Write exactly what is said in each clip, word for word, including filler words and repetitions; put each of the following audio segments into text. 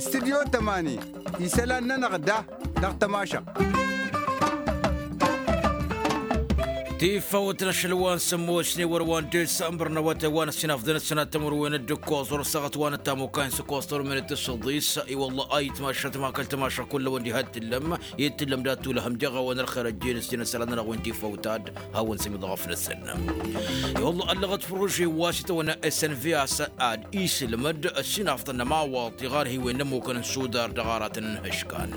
Studyo tămani isălan-nănăɣ da dăɣ-tămašăɣt. Tifawt n-ašăl wa n-sămmosne wăr-wa n-desămbăr n-awătay wa n-ăssinafḍăn ăssinat tămărwen d-ǝkkoẓ wăr-săɣăt wa n-ăttamukay n-săkkoẓ tărmen d-tǝssǝḍis. I-wălla ayǝtmašat ma kăl-tămašăɣ kull-awăn diha d-tǝllăm i-tǝllăm dat-tulăhăm jeɣ-awăn ărxer ăjjeen ăssinăsălan n-ănăɣ wen tifawt ad-hawăn-sǝmǝḍ ɣăf-năsăn. I-wălla ăllăɣăt prože wa s-itawănna s n v a-s ad-isǝlmăd ăssinafḍăn n-ămawaḍ tiɣarhiwen n-ămmukăn n-sudar dăɣ-aratăn n-ihǝškan.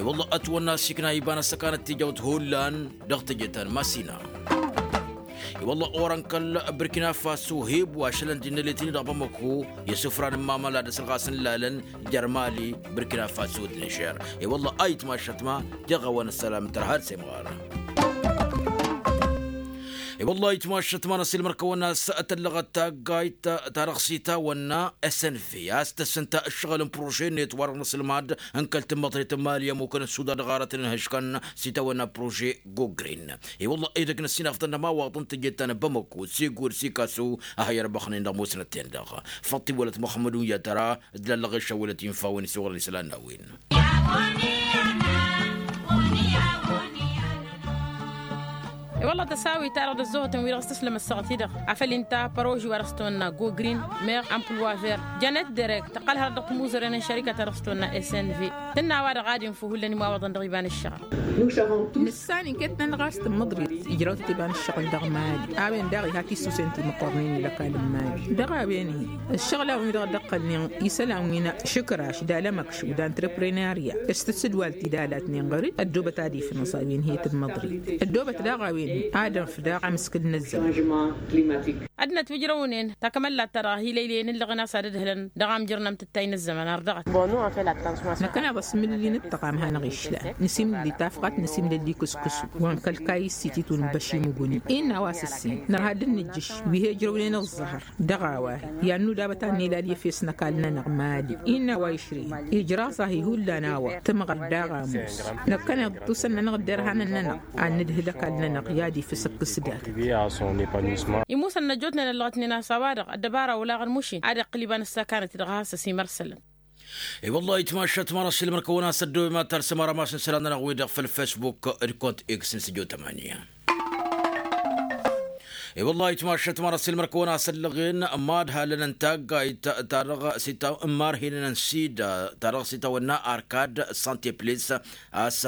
I-wălla ătwănna s-ikna iba n-ăssăkanăt tijawt hullan dăɣ-teje ta n-masina. I-wălla orăn kăl-bărkina faso heb wa šălăn d-innălet-in-dăɣ bamăko i-asǝfran n-mamăla d-asǝlɣas n-lalăn jer-mali bărkina faso d-nižer. I-wălla ayǝtmašat ma jeɣ-awăn ăssălam tărha d-semɣar. I-wălla ayǝtmašat ma n-ăsilmăr kăwăn-as tăllăɣăt taggayt ta dăɣ-s itawănna s n v a-s tăssǝnta ǝššăɣǝl n-prože-net wa dăɣ-năsǝlmad n-kăl-tǝmmăḍret n-mali ămmukăn n-suda dăɣ-aratăn n-ihǝškăn s-itawănna prože gogrin. I-wălla edăgg n-ăssinafḍăn n-ămawaḍ n-teje ta n-bamăko s-igor s-ikaso a hăyyărbăxnen dăɣ-musnăt-ten-dăɣ. Făṭṭ iwălăt muxămmăd unyatăra d-lallăɣ išăwălăt infa-wen s-iwăḍăn isălan n-a-wen. I-wălla tăsawit-ta-dăɣ d-ăzzohătăn wi-dăɣ s-tǝslăm ăssaɣăt-i-dăɣ afăl inta păroži wa dăɣ-s tăwănna gogrin meɣ ampluwa ver jănet derek tăqqăl hărăt dăɣ-timuzăren n-šărikăt ta dăɣ-s tăwănna s n v tǝnna a-wa-dăɣ ad-infǝw hullan imawaḍăn dăɣ-iba n-ǝššăɣǝl. Nǝssan inkăt-nănăɣ a-s tǝmmǝḍrit ijrawt tiba n-ǝššăɣǝl dăɣ-mali a-wen daɣ iha tisusen timǝqqărnen i-lăkal n-mali dăɣ-a-wen-hi ǝššăɣǝl a-wen-dăɣ dd-ăqqălnen isălan wi n-ašǝkraš d-alămăkš d-antreprenarya s-tǝssǝdwal tidalat-nen ɣăr-dd ăddoobăt ad-ifnăẓ a-wen hi-tǝmmǝḍrit ăddoobăt daɣ a-wen-hi ad-ănf daɣ amǝskǝl n-ăzzăman. Ad-nătwǝjrăwnen takămăllat-ta-dăɣ a hi-lăylăyăn ǝllăɣăn a-s ad-ǝdhǝlăn dăɣ-amjăr n-amtǝttay n-ăzzăman ardăɣăt. Năkkăneḍ asǝmǝlǝlli n-ǝṭṭăɣam hanăɣ-išlan nǝsimǝlǝlli tafɣat nǝsimǝlǝlli kǝskǝsu wa n-kăl-kayǝs s-ititun n-băšimǝguni innă a-wa s-ǝssin nărha d-ǝnnǝjjǝš wi he-ǝjrăwnen ăẓẓăhăr dăɣ-a-wa-hi i-ad-nudabăt ad-nilal i-efes n-ăkall-nănăɣ mali innă a-wa išrǝyăn ijraẓ-ahi hullan a-wa tǝmɣăr daɣ ămoos. Năkkăneḍ tusăn-nănăɣ d-derhanăn-nănăɣ ad-nǝdhǝl ăkall-nănăɣ i-ad-ifǝs ǝkkǝs dat. Imusăn n-ăjjootnen ăllăɣătnen a-s a-wa-dăɣ ăddăbara olaɣăn mušin ad-iqqǝl iba n-ăssakanăt-i-dăɣ a has-ăsimăr isălan. I-wăllah itmašat ma n-ăsilmăr-kăwăn a-s ăddoobem ad-talsăm arămas n-isălan-nănăɣ-wi-dăɣ făll-fesbuk d-kont x n-săjo tămănǝya. I-wăllah itmašat ma n-ăsilmăr-kăwăn a-s ăllăɣen mad-halăn n-taggayt ta dăɣ-s itawănna n-sida ta dăɣ-s itawănna arkad sante plis a-s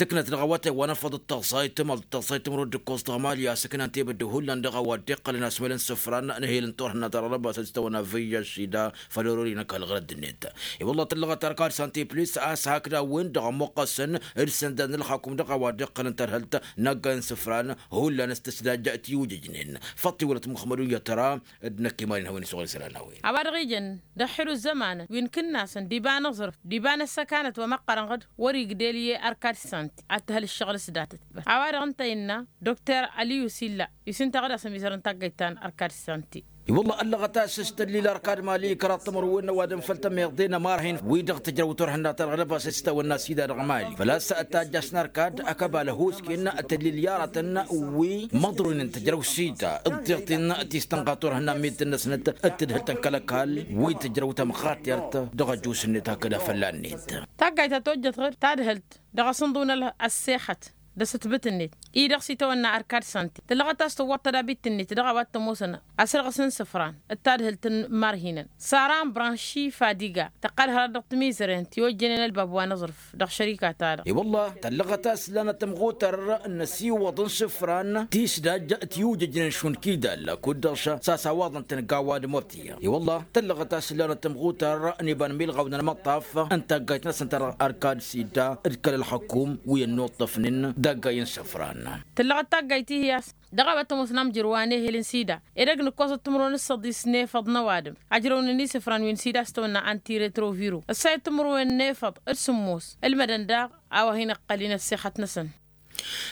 tǝknăt dăɣ-awătay wa n-afăḍ d-taẓayt timăḍ d-taẓayt timărăw d-ǝkkoẓ dăɣ-mali a-s ǝknan tebădde hullan dăɣ-a-wa dd-iqqălăn asmălăn isǝfran n-ehel n-turhǝnna ta dăɣ-lăbasăt s-tawănna văyya s-sida făll-orori n-ăkall ɣărădd-net. I-wăllah tǝllăɣăt arkad sante plis a-s hakd a-wen-dăɣ ămmuqqăsăn d-isăndan n-ălxakum dăɣ-a-wa dd-iqqălăn tărhălt n-aggay n-isǝfran hullan s-tǝsdajja tiwjǝjnen. Făṭṭ iwălăt muxămmăd uyyăt tăra d-năkk iman-in hawăn-isuɣǝl isălan n-a-wen. A-wa-dăɣ ijăn d-ăxxir uzămanăn wi n-kǝnnasăn d-iba n-aẓrǝf d-iba n-ăssăkanăt wa măqqărăn ɣǝd wăr-igdel i-arkad santi ad-t-hăl ǝššăɣǝl s-datăt. A-wa-dăɣ ǝnta innă dokter aliyu silla isintaɣ d-asămizăr n-taggayt ta n-arkad santi. I-wăllah ăllăɣăt a-s s-tăllil arkad mali kăraḍ timǝrwen n-ăwadǝm făll-tămeḍe n-ămarhin wi-dăɣ tǝjrăw turhǝnna ta dăɣ-lăbasăt s-tawănna sida dăɣ-mali făl-a-s tajjaš n-arkad ăkăbal ăhuusken tăllil i-aratăn wi măḍroynen tǝjrăw sida ǝḍḍeɣ-ten ti s-tănɣa turhǝnna n-mid-năsnăt d-tǝdhǝlt n-kăl-ăkall wi tǝjrăw tămxatert dăɣ-ăjus-net hakd a fălla-net. Taggayt ta tojjăt ɣǝr tadhǝlt dăɣ-asǝnḍǝw n-ăssexăt d-asǝtbǝt-net i-dăɣ s-itawănna arkad santi tǝllăɣăt a-s tǝwwăḍ tădabit-net dăɣ-a-wa t-ămoosăn asǝrɣǝs n-isǝfran d-tadhǝlt n-imarhinăn sara n-branši fadiga tăqqăl hărăt dăɣ-timizăren ti ojjănen ălbab wa n-aẓrǝf dăɣ-šărika-ta-dăɣ. I-wăllah tăllăɣăt a-s lanăt tămɣutăr n-ăsiwăḍ n-isǝfran tisdaj tiwjǝjnen šund kidal kud-dăɣ s-asawaḍăn-tăn gawa d-mărtiya. I-wăllah tăllăɣăt a-s lanăt tămɣutăr n-iba n-milɣaw n-ălmăṭṭaf n-taggayt-năsăn ta dăɣ-arkad sida d-kăl-ălxăkum wi ănnuṭṭăfnen d-aggay n-isǝfran. Tǝllăɣăt taggayt-ihi a-s dăɣ-a-wa t-ămoosăn amjăr wa n-ehel n-sida edăgg n-ǝkkoẓăt timǝrwen s-săḍis n-efăḍ n-ăwadǝm ajrăwnen isǝfran wi n-sida a-s tăwănna antiretroviru ǝssa i-timǝrwen n-efăḍ d-sǝmmos ǝlmădăn daɣ a-wa hin-ǝqqăl-in ăssexăt-năsăn.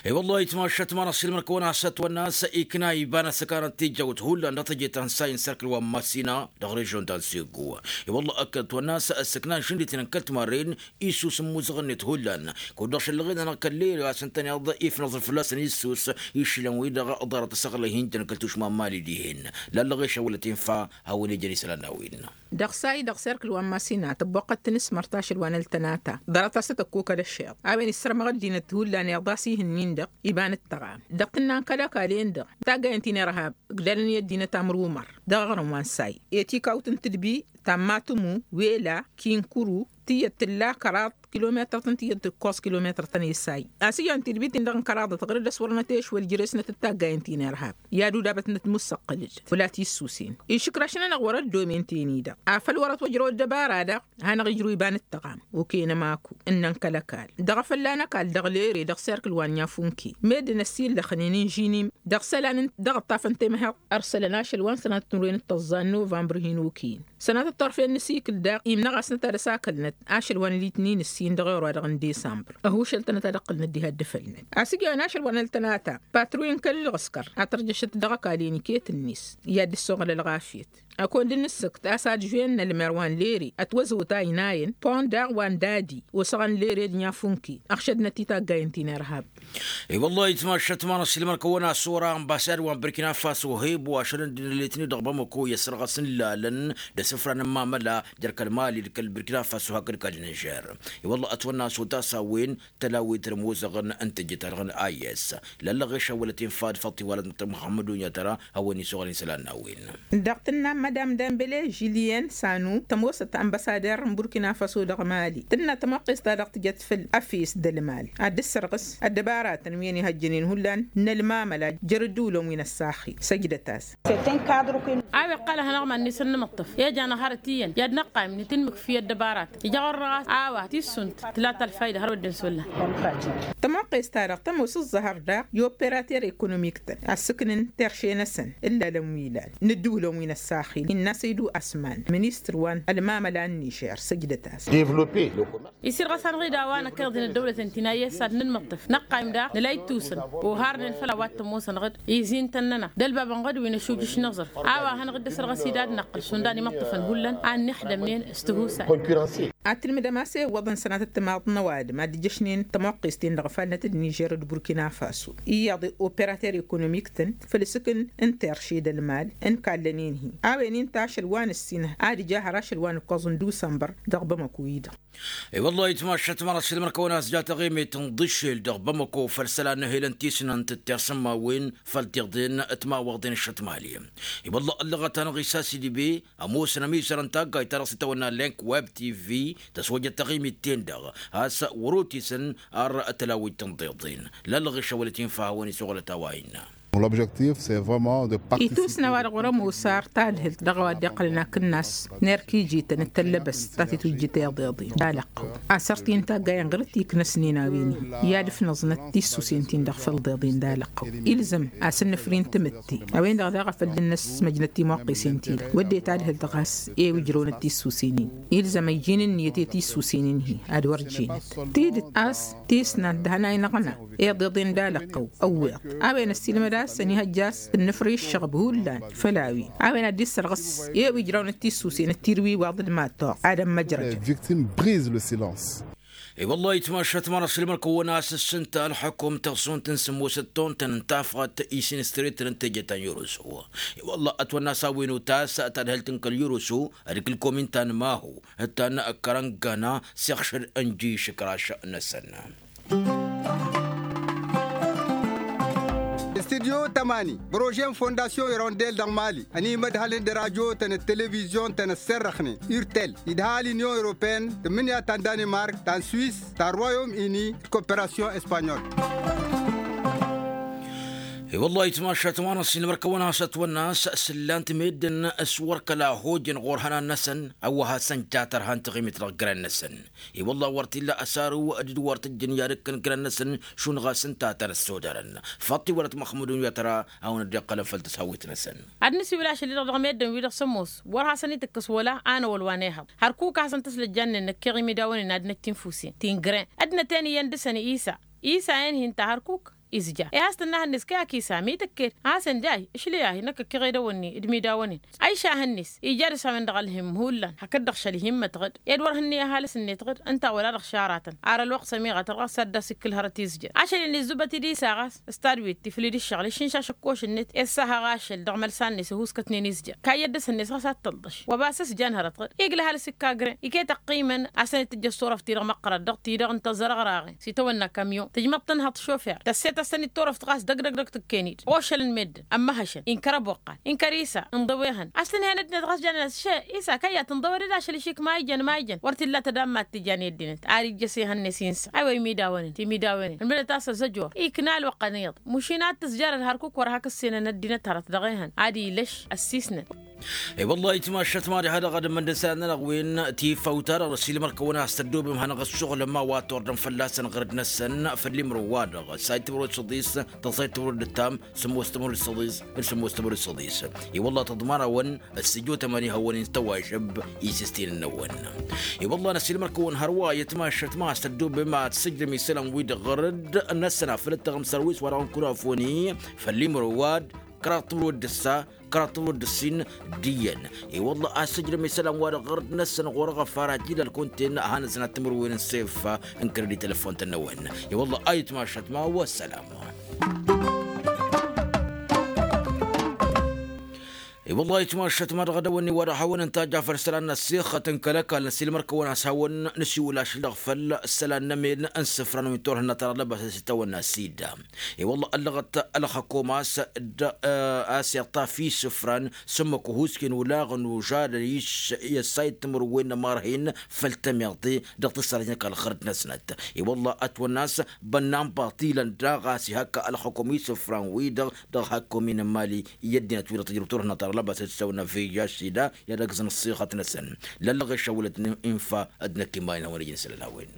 I-wălla itmašat ma n-asilmăn kăwăn-asăt wănnas ikna iban ăssăkanăn tijjăwt hullan dăɣ-tejeta n-sayǝn serkǝl wa n-masina dăɣ-režion ta n-sego. I-wălla ăkk ătwănnas ăssăknan žǝndităn n-kăl-timarren issus n-imuzăɣ-net hullan. Kud-dăɣ šăllăɣen-anăɣ kăl-lere a-s ǝntăneḍ ifnăẓ fălla-săn issus išilăn-wi-dăɣ ḍarăt asăɣlăy hin-tăn kăl-tušma n-mali dihen. Lallăɣ ešăwălăt infa hawăn-ijăn isălan n-a-wen. Dăɣ-say dăɣ-serkǝl wa n-masina tăbboqqăt tinǝsmărt ašăl wa n-ăltănata ḍarăt-as ad-tăkkokăl ăššeḍ a-wen issărmăɣ ăddinăt hullan iḍas ihǝnnin-dăɣ iba n-ǝttăɣam dăɣ-tǝnna n-kăl-ăkall-en-dăɣ. Taggayăn ti n-irhab ǝgdalăn i-ăddinăt amrumăr dăɣ-aɣrǝm wa n-say i-tikawt n-tǝdbi tammatumu wela kinkuru tiyyăt tǝlla kăraḍ kilometăr-tăn tiyyăt tǝkkoẓ kilometăr-tăn i-say. A-s iyyăn tidbit-in-dăɣ n-kăraḍăt ɣǝr-dd ăswărnăt i-ašwăl jere-snăt d-taggayăn ti n-irhab i-ad-udabătnăt musăqqǝl-dd fălla-t issusen išǝkrăš-nănăɣ wăr-ăddomen ten-i-dăɣ. Afăl wăr-ătwăjrăw ăddăbara-dăɣ hanăɣ-ijrǝw iba n-ǝttăɣam okăyăn ămaku ǝnnăn kăl-ăkall dăɣ-afălla n-ăkall dăɣ-lere dăɣ-serkǝl wa n-yafunki meddǝn ăssillăxnen n-žinim dăɣ-isălan dăɣ-ǝṭṭaf n-temhăḍt. Ărsălăn ašăl wa n-sănatăt n-wen d-tăẓẓa n-novămbăr hin-okăyăn sănatăt turfen n-asikǝl daɣ imnăɣ-asnăt ad-ăsakălnăt ašăl wa n-litnin ǝssin dăɣ-ewăr wa dăɣ-n disămbăr ăhušăl-tănăt ad-ǝqqǝlnăt diha dd-ăfălnăt. A-s ǝjăn ašăl wa n-ăltănata patru n-kăl-ɣǝskăr a tărjăšăt dăɣ-ăkall-en iket-net i-ad-dd-ăssoɣăl ălɣafyăt. Ăkund n-ǝssǝkt a-s ad-žwen n-ălmer wa n-lere ătwăzăwăt a ăynayăn pon daɣ wa n-dadi osăɣăn lere d-nyafunki ăɣšădnăt i-taggayăn ti n-irhab. I-wăllah itmašat ma n-asilmăn kăwăn-asora ănbasad wa n-burkina faso hebo ašăl n-dd-inălletni dăɣ-bamako i-ăsrăɣăs n-lalăn d-asǝfra n-ămmamăla jer-kăl-mali d-kăl-burkina faso hakd kăl-nižer. I-wăllah ătwănna s-otas a-wen tălawit d-imuzăɣăn n-tejjăt-ta-dăɣ n-ayes lăllăɣ išăwălăt infa d-făḍt iwalăt n-tămxămmădun i-ad-tăra hawăn-isăɣălăn isălan n-a-wen. Dăɣ-tǝnna n-madam dambele žilyen sanu tămoosăt ănbăsader n-burkina faso dăɣ-mali tǝnna tămoqqes-ta-dăɣ tǝjăt făll-efes d-ălmal ad-dd-sărɣǝs ăddăbaratăn wi ănihăjjănen hullan n-ălmamăla jer-ǝddǝwǝlăn wi n-ăssaxi săjdăt-as. A-wa iqqăl ad-hanăɣ-iman-net ănnămăṭṭăf i-ăj anăhhărăt iyyăn i-ad-năqqayǝm nǝtǝnmǝkf i-ăddăbaratăn ija ɣur-dăɣ a-s a-wa tissunt tǝla ta ălfayda hărwa dd-insulla. Tămoqqes-ta-dăɣ tămoos ǝẓẓăhăr daɣ i-operater ekonomik-tăn a ǝssǝknǝn terše-năsăn ǝllalăn wi ilan n-ǝddǝwǝlăn wi n-ăssaxil innă săydu asman ministăr wa n-ălmamăla n-nižer săjdăt-as. Isirɣăs-anăɣ-dd a-wa năkk iḍǝn ăddăwlăten ti n-ayes ad-nǝnmăṭṭăf năqqayǝm daɣ nǝla ittusǝn oharnen făll-a-wa t-ămoosănăɣ-dd izintăn-nănăɣ d-ălbabăn ɣǝd wi n-ašujǝš n-aẓrǝf. A-wa hanăɣ-dd-ăsărɣăs-dd ad-năqqǝl šund a n-imăṭṭăfăn hullan a ǝnnixdămnen s-tihusay. Ad-tǝlmǝdăm a-s iwwăḍăn sănatăt timaḍ n-ăwadǝm ad-ǝjjăšnen tămoqqes-ten-dăɣ ăfalnăt d-nižer d-burkina faso iyyăḍ operater ekonomik-tăn făll-asǝkn n-terše d-ălmal n-kallăn-in-hi. A-wen inta ašăl wa n-ǝssin ad-ija har ašăl wa n-ǝkkoẓ n-dusămbăr dăɣ-bamăko-i-dăɣ. I-wăllah itmašat ma n-asǝlmăn kăwăn-as ja taɣimit n-iḍǝššel dăɣ-bamăko făll-isălan n-ehel n-tisnant d-tirsǝmmawen făll-tiḍen timawăḍen šăt mali. I-wăllah ăllăɣăt-anăɣ isas idǝbe ămoosăn ămizăr n-taggayt-ta-dăɣ s-itawănna link web tv tăswăjăt taɣimit-ten-dăɣ a-s wăr-otisăn ar tălawit n-tiḍen. Lallăɣ išăwălăt infa a-wen isuɣǝlăt a-wa innă. Itusna wa-dăɣ wăr-ămoos ar tadhǝlt dăɣ-a-wa dd-iqqălăn akǝnnas n-erk ijităn d-tăllăbăst ta titujjǝt iḍeḍen d-alăqqăw. Asărt-i n-taggayen ɣur-t iknăsnen a-wen-i i-ad-ǝfnăẓnăt tissusen-tin-dăɣ făll-iḍeḍen d-alăqqăw. Ilzăm a-s ǝnnǝfri n-tamǝtte a-wen-dăɣ daɣ a făl dd-năsmăjnăt timăqqesen-ti-dăɣ wădden tadhǝlt ɣas i-wi ǝjrăwnăt tissusen-in. Ilzăm ăjjin ǝnniyăt i-tissusen-in-hi ad-wăr jenăt tidǝt a-s tisnant d-hănay n-aɣna iḍeḍen d-alăqqăw. Ăwweḍ a-wen ăssiilmăd a-s ănihăjja a-s ǝnnǝfri ǝššăɣb hullan făll-a-wen a-wen ad-dd-issărɣǝs i-wi ǝjrawnăt tissusen d-tirwiwaḍ d-mad-toɣ ad-ămmăjrăjăn. Victime brise le silence. I-wăllah itmašat ma n-asǝlmăn kăwăn-as ǝssǝnta ălxukum tăɣsunt n-sǝmmosăt tontăn n-tafɣăt isinǝstăretăn n-teje ta n-yărusu. I-wăllah ătwănna a-s a-wen utas tadhǝlt n-kăl-yărusu d-kăl-komin ta n-mahu d-ta n-kărăngana s-iɣšăd n-ji išǝkraš-năsăn. Studyo tămani prože n-fondasyon irondel dăɣ-mali ănimădhălăn d-rajo-tăn d-televizyon-tăn ăssărrăxnen urtel idha l-inyon europene tǝmmǝnǝya ta n-danimark ta n-swis ta n-royom ini d-koperasyon espanyol. I-wăllah itmašat ma n-ăssin mărkăwăn hasăt wănnas s-ǝllan-t meddǝn s-wăr kăla hojăn ɣur-hănan-năsăn ăwwăha s-ănja tărha n-taɣimit dăɣ-gren-năsăn. I-wăllah wăr t-illa ăsaru d-dd-wăr t-ǝjjǝn i-ad-ǝkkăn gren-năsăn šund ɣas ǝnta a tăn-ăssodărăn. Făṭṭ-i wălăt măxmudun i-ad-tăra hawăn-dd-iqqălăn făll-tăshawit-năsăn. Ad-nǝsiwǝl ašăl-i-dăɣ dăɣ-meddǝn-wi-dăɣ s-ămoos wăr hasăn-itǝkkǝs wăla a năwăl wa n-ehăḍ. Hărkuk a hasăn-tăslăjjannen năkk iɣimidawăn-in ad-năj tinfusen ti n-gren ăddinăt-en iyyăn dăɣ-săn isa. Isa-en-hi ǝnta hărkuk. Izja i-has tǝnna hănnes kăy-ak isam i-tǝkked a hasăn-dd-ay ašli-ahi năkk ăkkiɣedăwăn-ni d-imidawăn-in. Ayša hănnes ija dăɣ-s a-wen-dăɣ ălhǝmm hullan hakd-dăɣ šăl ihimmătăɣ-dd ed wăr hǝnnǝy ăhalǝs-net ɣǝd ǝnta wăla dăɣ-šaratăn. Ar ălwăqq s-ămiɣătăr ɣas ad-dd-as-ikkǝl hărăt izjăn ašăl-in izzubăt-dd isa ɣas s-tadwit tiflǝd ǝššăɣǝl iššǝnša ašǝkkoš-net i-ăssahăɣ ašăl dăɣ-imălsan-net ăhuuskătnen izjăn kayyăt dăr-s hănnes ɣas ad-tălḍăš. Wa ba s-ǝsjan hărăt ɣǝd igla ăhalǝs ikka gren iket ăqqiimăn. A-s tăn-dd-tǝjjăš turăft-ti-dăɣ măqqărăt dăɣ-ti-dăɣ n-tăẓărăɣraɣen s-itawănna kamyon tǝjmăḍ-tăn hăḍ-šofer tăsset a-s tăn-dd-turăft ɣas dăgg-dăgg-dăgg tǝkken-dd ošălăn meddǝn ămmăhăšăn inkăr ăboqqal inkăr isa ǝnḍăwehăn. A-s tǝnhăyăn ăddinăt ɣas janen a-s še isa kăyy a tǝnḍăwăd d-ašăl išik ma ijăn ma ijăn wăr t-illa tădammat tǝjan i-ăddinăt. Ar ijjăs ehăn-net insa aywa imidawăn-in timidawăn-in ǝlmǝdăt a-s ăzăjor ikna ălwăqqăn iyyăḍ. Mušin ad-tǝzjarăd hărkuk wăr hak ǝssenăn ăddinăt hărăt dăɣ-ehăn ad-ilăš ăssiisnăn. I-wălla-hi timašat mad-ha-dăɣ ad-ămmăndăs ad-nănăɣ wen tifăwt-ta-dăɣ n-ăssiilmăr-kăwăn a-s tăddobem hanăɣ-ăssuɣǝlăm a-wa tordăm fălla-săn ɣărăt-năsăn făll-imrǝw-wa-dăɣ ăssayt timrǝwed săḍis tăẓayt timrǝwed d-ǝttam sǝmmos timrǝwed săḍis. D-sǝmmos timrǝwed săḍis. I-wălla tăḍmanawăn ăssijotăm ad-ihăwăn-in s-tăwažăb isǝstinăn-năwăn. I-wălla n-ăssiilmăr-kăwăn hărwa i-timašat ma a-s tăddobem ad-sǝjdăm isălan-wi-dăɣ ɣărăt-năsăn afăl ăttăɣăm sărwis-wa-dăɣ n-kunafoni făll-imrǝw-wa-dăɣ kăraḍ timrǝwed d-ǝssa kăraḍ timrǝwed d-ǝssin d-iyyăn. I-wălla a-s tǝjdăm isălan-wa-dăɣ ɣărăt-năsăn ɣur-eɣăfar ad-t-ila ălkunten ad-hanăzăn ad-timǝrwen n-sef n-kredit telefon-tăn-năwăn. I-wălla a itmašat ma wăssălam. I-wălla a itmašat ma dăɣ-edăwănni wa dăɣ-hawăn-ǝntajja făll-isălan n-ăssixăt n-kăl-ăkall n-ăssiilmăr-kăwăn a-s hawăn-nǝsiwǝl ašăl-dăɣ făll-isălan n-emen n-isǝfran wi n-turhǝnna ta dăɣ-lăbas a-s itawănna sida. I-wălla ăllăɣăt ălxăkom a-s d-a-s iṭṭaf isǝfran s-ǝmmǝk uhusken ulaɣăn užadăn i-ăssayǝd timǝrwen n-ămarhin făll-tămiḍe dăɣ-tǝssarăjnăk ălxărăt-năsnăt. I-wălla ătwănna a-s bănnan baṭilăn daɣ a-s ihakka ălxăkom isǝfran-wi-dăɣ dăɣ-hakomin n-imali i-ăddinăt-wi-dăɣ tǝjrǝw turhǝnna ta dăɣ-lăbas a-s tǝssawănna veyya s-sida i-ad-ăgg-zăn ăṣṣixăt-năsăn. Lăllăɣ išăwălăt n-infa d-năkk imayăn a-wen ijăn isălan a-wen.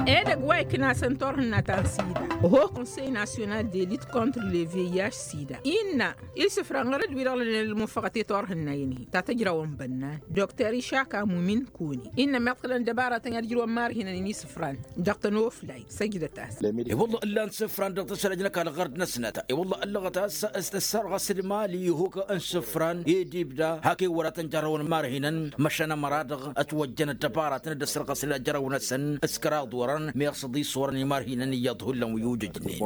Edăgg wa ikna a-s n-turhǝnna ta n-sida ho konsey nasyonal de lit contre le vih sida innă isǝfran ɣărăd-wi-dăɣ lănen ălmunfăɣăt i-turhǝnna-in-hi ta tăjrawăn bănnan dokter išaka mumin kuni innă meḍ kălăn dăbaratăn i-ad-ǝjrǝwăn marhinăn-in isǝfran dăɣ-tănoflay. Săjdăt-as. I-wălla ǝllan isǝfran dăɣ-tǝsrăj n-ăkall ɣărd-năsnăt. I-wălla ăllăɣăt a-s s-tǝssărɣăs d-imali ihuk n-isǝfran i-dd-ibda hak i-wăr ad-tăn-jarrăwăn marhinăn măšan ămăra-dăɣ ătwăjjăn ăddăbaratăn d-ăssărɣăsnen ajrăw-năsăn s-kăraḍ orăn meɣ s-ăḍis orăn i-marhinăn iyyăḍ hullan wi ujǝjnen.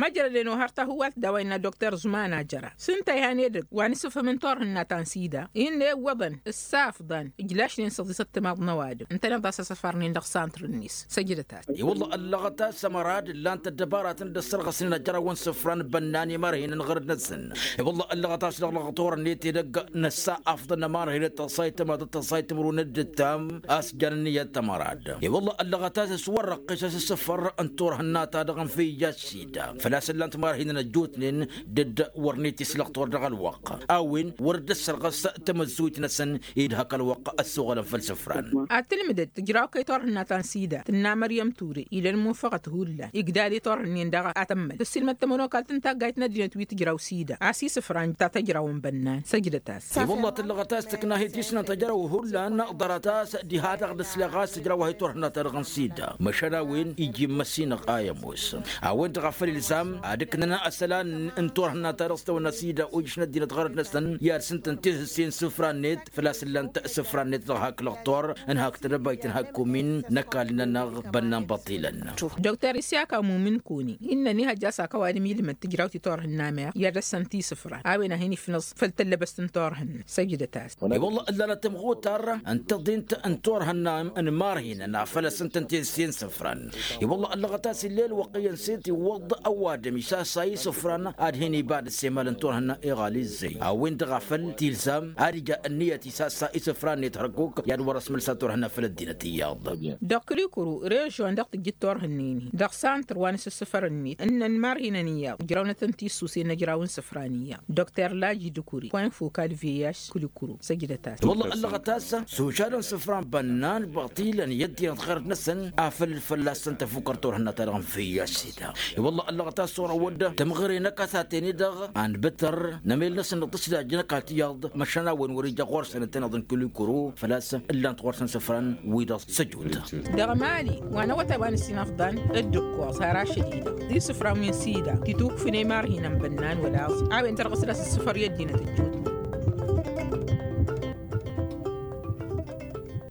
Măjrăden ohăr tahǝwalt d-a-wa innă dokter zuman a jăra s-ǝnta ihan edăgg wa n-isǝfhǝm n-turhǝnna ta n-sida innă iwwăḍăn ǝssafḍăn ǝjlašnen s-ăḍisăt timaḍ n-ăwadǝm ǝntăneḍ a-s asăfar-nin dăɣ-santr-net. Săjdăt-as. I-wălla ăllăɣăt a-s ămăra d-ǝllan-t ăddăbaratăn d-ăssărɣăsnen ajrăwăn isǝfran bănnan i-marhinăn ɣărăd-năsăn. I-wălla ăllăɣăt a-s dăɣ-lăɣător-net edăgg năssa afḍăn n-ămarhinăn tăẓẓayt tămaḍăt tăẓẓayt timǝrwen d-ǝttam a-s jan ǝnniyăt tămărad. I-wălla ăllăɣăt a-s s-wăr-răqqes a-s ǝssǝfăr n-turhǝnna-ta-dăɣ n-fija s-sida făl-a-s ǝllan-t marhinăn ăjjootnen d-dd-wăr net-islăɣ tor dăɣ-ălwăqq a-wen wăr dd-ăssărɣăs tamăzzuyt-năsăn i-dd hak ălwăqq ăssoɣălăn făll-isǝfran. Ad-tǝlmǝdăd tǝjraw kăy-turhǝnna ta n-sida tǝnna măryăm ture ila ălmunfăɣăt hullan igdal i-turhǝnnen daɣ ad-tămmăl tǝssilmăd tămănokalt n-taggayt n-ăddinăt wi tǝjraw sida a-s isǝfran ta tăjrawăn bănnan. Săjdăt-as. I-wălla tǝllăɣăt a-s tǝkna hi-tisnant ăjrăw hullan ḍarăt a-s diha-dăɣ d-ǝsleɣ a-s tǝjraw a hi-turhǝnna-ta-dăɣ n-sida măšan a-wen iji n-măssinăɣ a i-ămoos a-wen-dăɣ a făl ilzam ad-ǝknăn asălan n-turhǝnna-ta-dăɣ s-tawănna sida ojǝš n-ăddinăt ɣărăt-năsăn i-ad-sǝntăn tihǝsse n-isǝfran-net făl-a-s ǝllan-t isǝfran-net dăɣ-hak lăɣtor n-hak tedăbayt n-hak kumin n-ăkall-nănăɣ bănnan băṭilăn. Dokter isyak amumin kuni innă ănihăjja a-s hak ăwadǝm ilmăd tǝjrawt i-turhǝnna meɣ i-ad-ăssăn tisǝfran a-wen a hin-ifnăẓ făll-tăllăbăst n-turhǝnna. Săjdăt-as. I-wălla ǝllanăt tămɣutar n-tăḍint n-turhǝnna n-marhinăn a făl ăssǝntăn tihǝsse n-isǝfran. I-wălla ăllăɣăt a-s ill'-e ălwăqq iyyăn s-e-tiwwăḍ ăwadǝm isassa isǝfran ad-hin-ibad ăssemal n-turhǝnna iɣal izzăy a-wen-dăɣ a făl tilzam ad-ija ǝnniyăt isassa isǝfran-net hărkuk i-ad-wăr-ăsmălsa turhǝnna făll-ăddinăt iyyăḍ. Dăɣ-kǝlikǝru režion dăɣ-tǝjjǝd turhǝnne-ni dăɣ-santăr wa n-asǝssǝfăr-net ǝnnăn marhinăn iyyăḍ ǝjrawnăt n-tissusen ăjraw n-isǝfran iyyăḍ dokter laji dukuri point fokal vih kǝlikǝru. Săjdăt-as. Wălla ăllăɣăt a-s s-ošadăn isǝfran bănnan băṭilăn i-ăddinăt ɣărăt-năsăn. făll-fălla-săn tafukărt turhǝnna-ta-dăɣ n-făyya s-ida. I-wălla ăllăɣăt a-s orăwăd tămɣăre n-ăkasate-ni-dăɣ a n-bǝttăr n-emel-năsăn dăɣ-tǝsdajjăn ăkall tiyyăḍ măšan a-wen wăr ija ɣur-săn ǝntăneḍ n-kǝlikǝru făl-a-s ǝllan-t ɣur-săn isǝfran-wi-dăɣ s-ăjut. Dăɣ-mali wa n-awătay wa n-ǝssin afḍăn d-ǝkkoẓ har ašăl-i-dăɣ d-isǝfran wi n-sida titukfǝn i-marhin n-bănnan wăla aẓ a-wen tărɣǝs d-asǝssǝfăr i-ăddinăt ăjut.